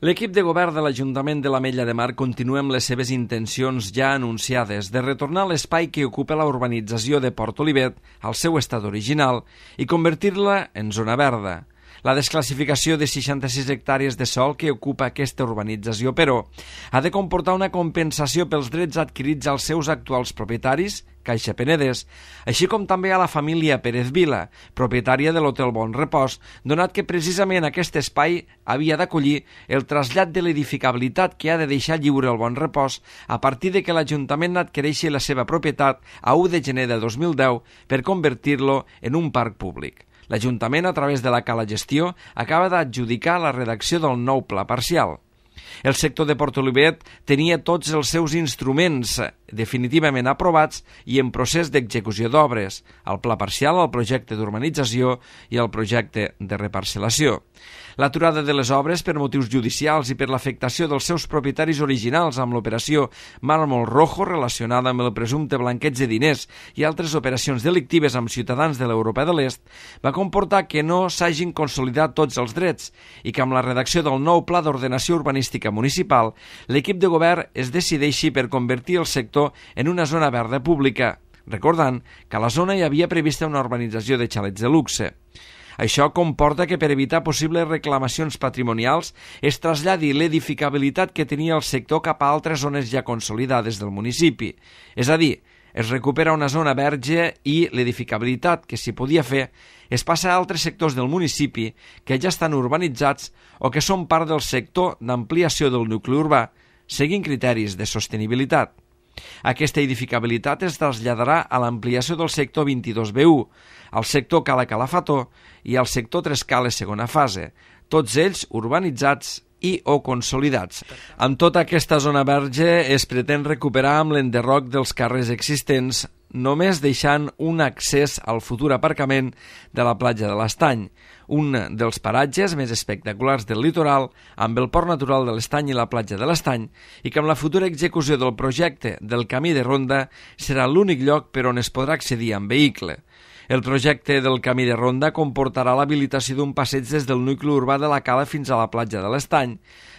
L'equip de govern de l'Ajuntament de l'Ametlla de Mar continua amb les seves intencions ja anunciades de retornar l'espai que ocupa la urbanització de Port Olivet al seu estat original i convertir-la en zona verda. La desclassificació de 66 hectàrees de sòl que ocupa aquesta urbanització, però, ha de comportar una compensació pels drets adquirits als seus actuals propietaris, Caixa Penedès, així com també a la família Pérez Vila, propietària de l'Hotel Bon Repòs, donat que precisament aquest espai havia d'acollir el trasllat de l'edificabilitat que ha de deixar lliure el Bon Repòs a partir de que l'Ajuntament adquireixi la seva propietat a 1 de gener de 2010 per convertir-lo en un parc públic. L'Ajuntament, a través de la Cala Gestió, acaba d'adjudicar la redacció del nou pla parcial. El sector de Port Olivet tenia tots els seus instruments definitivament aprovats i en procés d'execució d'obres, el pla parcial, el projecte d'urbanització i el projecte de reparcel·lació. L'aturada de les obres per motius judicials i per l'afectació dels seus propietaris originals amb l'operació Mármol Rojo relacionada amb el presumpte blanqueig de diners i altres operacions delictives amb ciutadans de l'Europa de l'Est va comportar que no s'hagin consolidat tots els drets i que amb la redacció del nou Pla d'Ordenació Urbanística Municipal l'equip de govern es decideixi per convertir el sector en una zona verda pública, recordant que a la zona hi havia prevista una urbanització de xalets de luxe. Això comporta que per evitar possibles reclamacions patrimonials es traslladi l'edificabilitat que tenia el sector cap a altres zones ja consolidades del municipi. És a dir, es recupera una zona verge i l'edificabilitat que s'hi podia fer es passa a altres sectors del municipi que ja estan urbanitzats o que són part del sector d'ampliació del nucli urbà, seguint criteris de sostenibilitat. Aquesta edificabilitat es traslladarà a l'ampliació del sector 22B1, al sector Cala Calafató i al sector Tres Cales segona fase, tots ells urbanitzats i o consolidats. Amb tota aquesta zona verge es pretén recuperar amb l'enderroc dels carrers existents, només deixant un accés al futur aparcament de la platja de l'Estany, un dels paratges més espectaculars del litoral, amb el port natural de l'Estany i la platja de l'Estany, i que amb la futura execució del projecte del camí de ronda serà l'únic lloc per on es podrà accedir amb vehicle. El projecte del camí de ronda comportarà l'habilitació d'un passeig des del nucli urbà de la Cala fins a la platja de l'Estany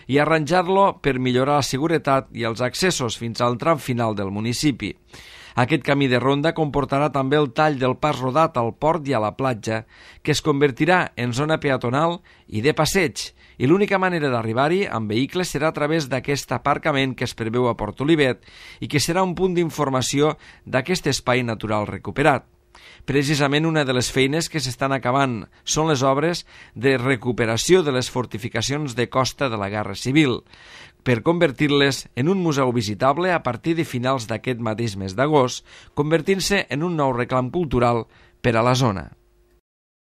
i arranjar-lo per millorar la seguretat i els accessos fins al tram final del municipi. Aquest camí de ronda comportarà també el tall del pas rodat al port i a la platja, que es convertirà en zona peatonal i de passeig, i l'única manera d'arribar-hi amb vehicles serà a través d'aquest aparcament que es preveu a Port Olivet i que serà un punt d'informació d'aquest espai natural recuperat. Precisament una de les feines que s'estan acabant són les obres de recuperació de les fortificacions de costa de la Guerra Civil, per convertir-les en un museu visitable a partir de finals d'aquest mateix mes d'agost, convertint-se en un nou reclam cultural per a la zona.